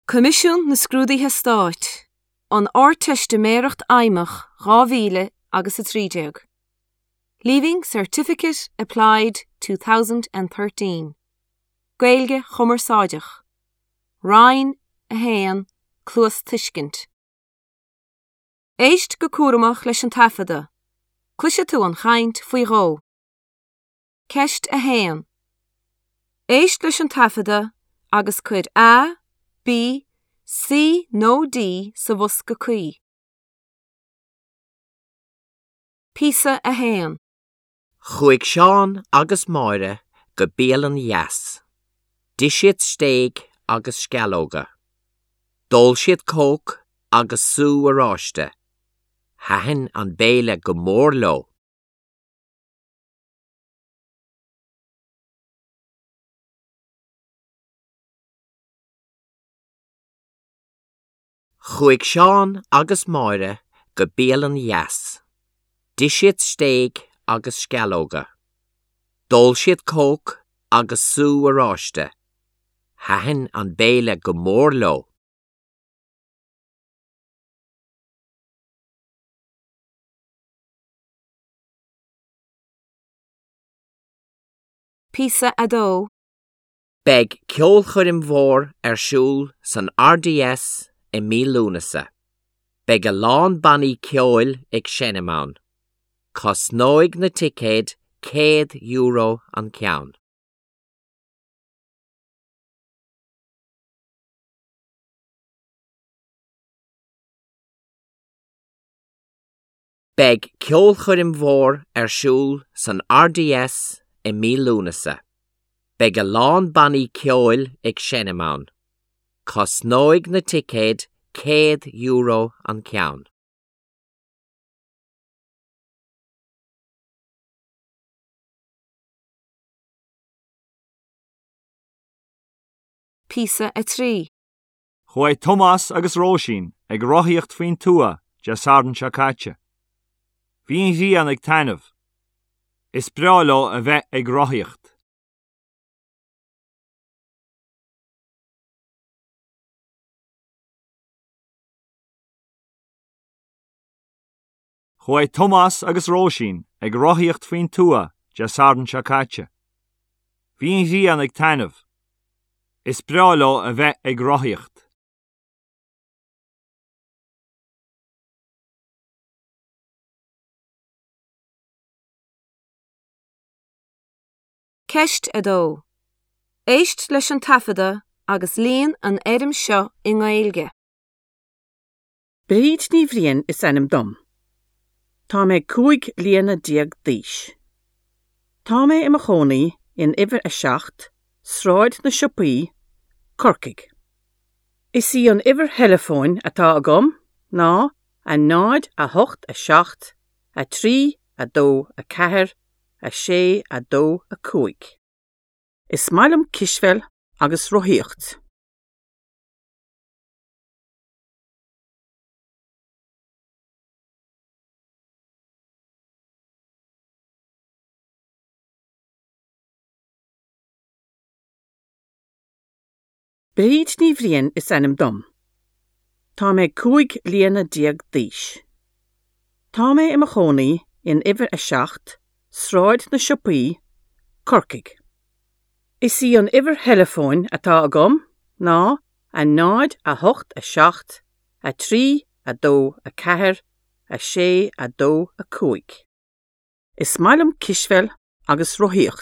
Coimisiún na Scrúduithe Stáit, An Ardteistiméireacht Fheidhmeach 2000 agus 13. Leaving Certificate Applied 2013. Gaeilge Chumarsáideach. Roinn 1, Cluastuiscint. Éist go cúramach leis an taifeadadh. Cloisfidh tú an chaint faoi dhó. Ceist 1. Éist leis an taifeadadh agus cuir A, B, C nó D sa bhosca cuí. Píosa 1. Chuaigh Seán agus Máire go bialann dheas. D'ith siad stéig agus sceallóga. D'ól siad Coke agus sú oráiste. Thaitin an béile go mór leo. Chuaigh Seán agus Máire go bialann dheas. D'ith siad stéig agus sceallóga. D'ól siad Coke agus sú oráiste. Thaitin an béile go mór leo. Píosa 2. Beidh ceolchoirm mhór ar siúl san RDS i mí Lúnasa. Beidh a lán bannaí ceoil ag seinm ann. Cosnóidh na ticéid €100 an ceann. Beidh ceolchoirm mhór ar siúl san RDS i mí Lúnasa. Beidh a lán bannaí ceoil ag seinm ann. Cosnóidh na ticéid €100 an ceann. Píosa 3. Chuaigh Tomás agus Róisín ag rothaíocht faoin tuath Dé Sathairn seo caite. Bhí an ghrian ag taitneamh. Is breá leo a bheith ag rothaíocht. Chuaigh Tomás agus Róisín ag rothaíocht faoin tuath Dé Sathairn seo caite. Bhí an ghrian ag taitneamh. Is breá leo a bheith ag rothaíocht. Ceist 2. Éist leis an taifeadadh agus líon an fhoirm seo i nGaeilge. Bríd Ní Bhriain is ainm dom. Tá mé 15 bliana d'aois. Tá mé i mo chónaí in uimhir 7, Sráid na Siopaí, Corcaigh. Is í an uimhir theileafóin atá agam ná 0 8 7 3 2 4 6 2 5. Is maith liom cispheil agus rothaíocht. Bríd Ní Bhriain is ainm dom. Tá mé 15 bliana d'aois. Tá mé i mo chónaí in uimhir 7, Sráid na Siopaí, Corcaigh. Is í an uimhir theileafóin atá agam ná 0 8 7 3 2 4 6 2 5. Is maith liom cispheil agus rothaíocht.